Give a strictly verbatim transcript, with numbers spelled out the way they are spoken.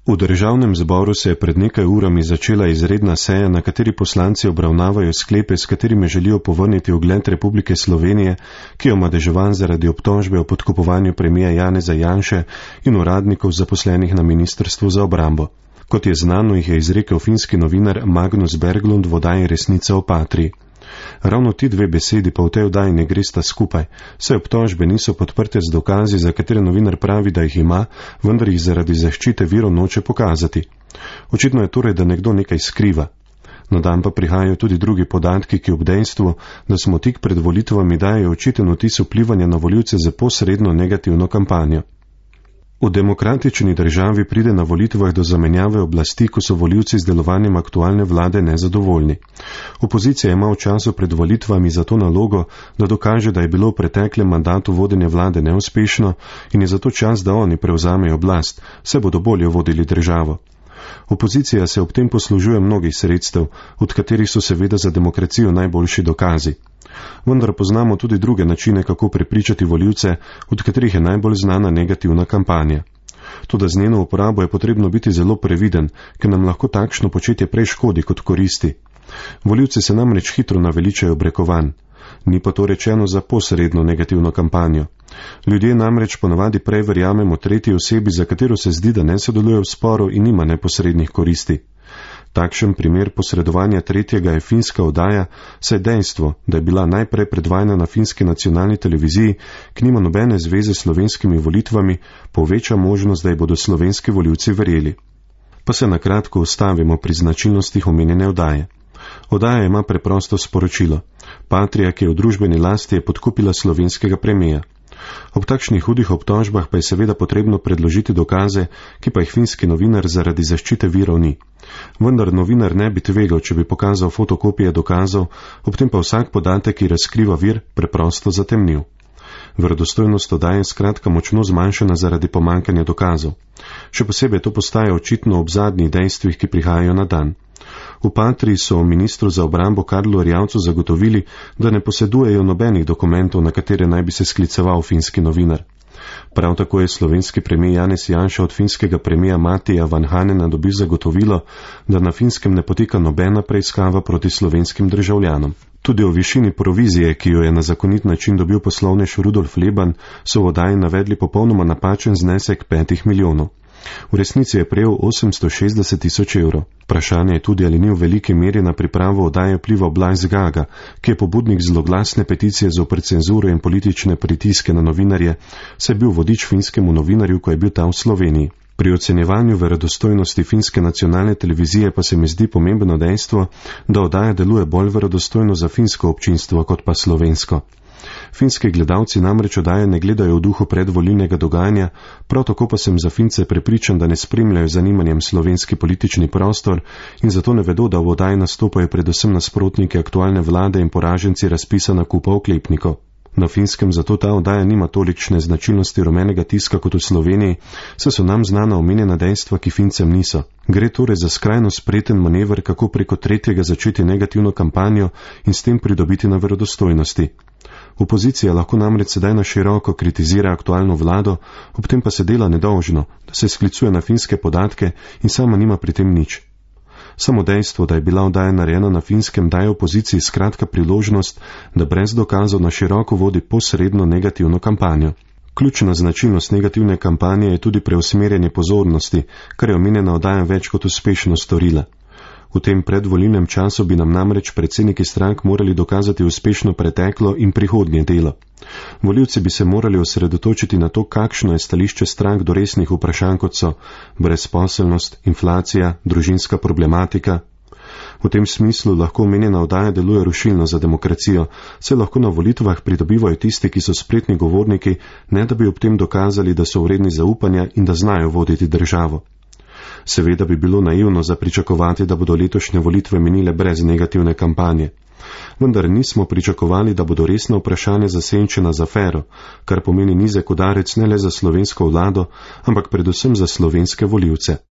V državnem zboru se je pred nekaj urami začela izredna seja, na kateri poslanci obravnavajo sklepe, s katerimi želijo povrniti ugled Republike Slovenije, ki je omadeževan zaradi obtožbe o podkupovanju premija Janeza Janše in uradnikov zaposlenih na Ministrstvu za obrambo. Kot je znano, jih je izrekel finski novinar Magnus Berglund v oddaji Resnica o Patriji. Ravno ti dve besedi pa v tej oddaji ne gresta skupaj, saj obtožbe niso podprte z dokazi, za katere novinar pravi, da jih ima, vendar jih zaradi zaščite virov noče pokazati. Očitno je torej, da nekdo nekaj skriva. Na dan pa prihajajo tudi drugi podatki, ki ob dejstvu, da smo tik pred volitvami, dajejo očiten vtis vplivanja na volivce za posredno negativno kampanjo. V demokratični državi pride na volitvah do zamenjave oblasti, ko so volivci z delovanjem aktualne vlade nezadovoljni. Opozicija ima v času pred volitvami zato nalogo, da dokaže, da je bilo v preteklem mandatu vodenje vlade neuspešno in je zato čas, da oni prevzamejo oblast, saj bodo bolje vodili državo. Opozicija se ob tem poslužuje mnogih sredstev, od katerih so seveda za demokracijo najboljši dokazi. Vendar poznamo tudi druge načine, kako prepričati volivce, od katerih je najbolj znana negativna kampanja. Toda z njeno uporabo je potrebno biti zelo previden, ker nam lahko takšno početje prej škodi kot koristi. Volivci se namreč hitro naveličajo brekovanj. Ni pa to rečeno za posredno negativno kampanjo. Ljudje namreč ponavadi prej verjamemo tretji osebi, za katero se zdi, da ne sodeluje v sporu in nima neposrednih koristi. Takšen primer posredovanja tretjega je finska oddaja, saj dejstvo, da je bila najprej predvajana na finski nacionalni televiziji, ki nima nobene zveze s slovenskimi volitvami, poveča možnost, da ji bodo slovenski volivci verjeli. Pa se na kratko ustavimo pri značilnostih omenjene oddaje. Oddaja ima preprosto sporočilo. Patrija, ki je v družbeni lasti, je podkupila slovenskega premija. Ob takšnih hudih obtožbah pa je seveda potrebno predložiti dokaze, ki pa jih finski novinar zaradi zaščite virov ni. Vendar novinar ne bi tvegal, če bi pokazal fotokopije dokazov, ob tem pa vsak podatek, ki razkriva vir, preprosto zatemnil. Verodostojnost oddaje je skratka močno zmanjšana zaradi pomankanja dokazov. Še posebej to postaja očitno ob zadnjih dejstvih, ki prihajajo na dan. V Patriji so ministru za obrambo Karlu Erjavcu zagotovili, da ne posedujejo nobenih dokumentov, na katere naj bi se skliceval finski novinar. Prav tako je slovenski premijer Janez Janša od finskega premija Matija Vanhanena dobil zagotovilo, da na Finskem ne poteka nobena preiskava proti slovenskim državljanom. Tudi o višini provizije, ki jo je na zakonit način dobil poslovnež Rudolf Leban, so v oddaji navedli popolnoma napačen znesek petih milijonov. V resnici je prejel osemsto šestdeset tisoč evrov. Vprašanje je tudi, ali ni v veliki meri na pripravo oddaje vplival Blaž Gaga, ki je pobudnik zloglasne peticije zoper cenzuro in politične pritiske na novinarje, saj je bil vodič finskemu novinarju, ko je bil ta v Sloveniji. Pri ocenjevanju verodostojnosti finske nacionalne televizije pa se mi zdi pomembno dejstvo, da oddaja deluje bolj verodostojno za finsko občinstvo kot pa slovensko. Finski gledalci namreč oddaje ne gledajo v duhu predvolilnega dogajanja, prav tako pa sem za Fince prepričan, da ne spremljajo zanimanjem slovenski politični prostor in zato ne vedo, da v oddaji nastopajo predvsem nasprotniki aktualne vlade in poraženci razpisa nakupa oklepnikov. Na Finskem zato ta oddaja nima tolikšne značilnosti rumenega tiska kot v Sloveniji, saj so nam znana omenjena dejstva, ki Fincem niso. Gre torej za skrajno spreten manever, kako preko tretjega začeti negativno kampanjo in s tem pridobiti na verodostojnosti. Opozicija lahko namreč sedaj na široko kritizira aktualno vlado, ob tem pa se dela nedolžno, da se sklicuje na finske podatke in sama nima pri tem nič. Samo dejstvo, da je bila oddaja narejena na Finskem, daje opoziciji skratka priložnost, da brez dokazov na široko vodi posredno negativno kampanjo. Ključna značilnost negativne kampanje je tudi preusmerjanje pozornosti, kar je omenjena oddaja več kot uspešno storila. V tem predvolilnem času bi nam namreč predsedniki strank morali dokazati uspešno preteklo in prihodnje delo. Volivci bi se morali osredotočiti na to, kakšno je stališče strank do resnih vprašanj, kot so brezposelnost, inflacija, družinska problematika. V tem smislu lahko omenjena oddaja deluje rušilno za demokracijo, saj lahko na volitvah pridobivajo tisti, ki so spretni govorniki, ne da bi ob tem dokazali, da so vredni zaupanja in da znajo voditi državo. Seveda bi bilo naivno zapričakovati, da bodo letošnje volitve minile brez negativne kampanje. Vendar nismo pričakovali, da bodo resna vprašanja zasenčena z afero, kar pomeni nizek udarec ne le za slovensko vlado, ampak predvsem za slovenske volivce.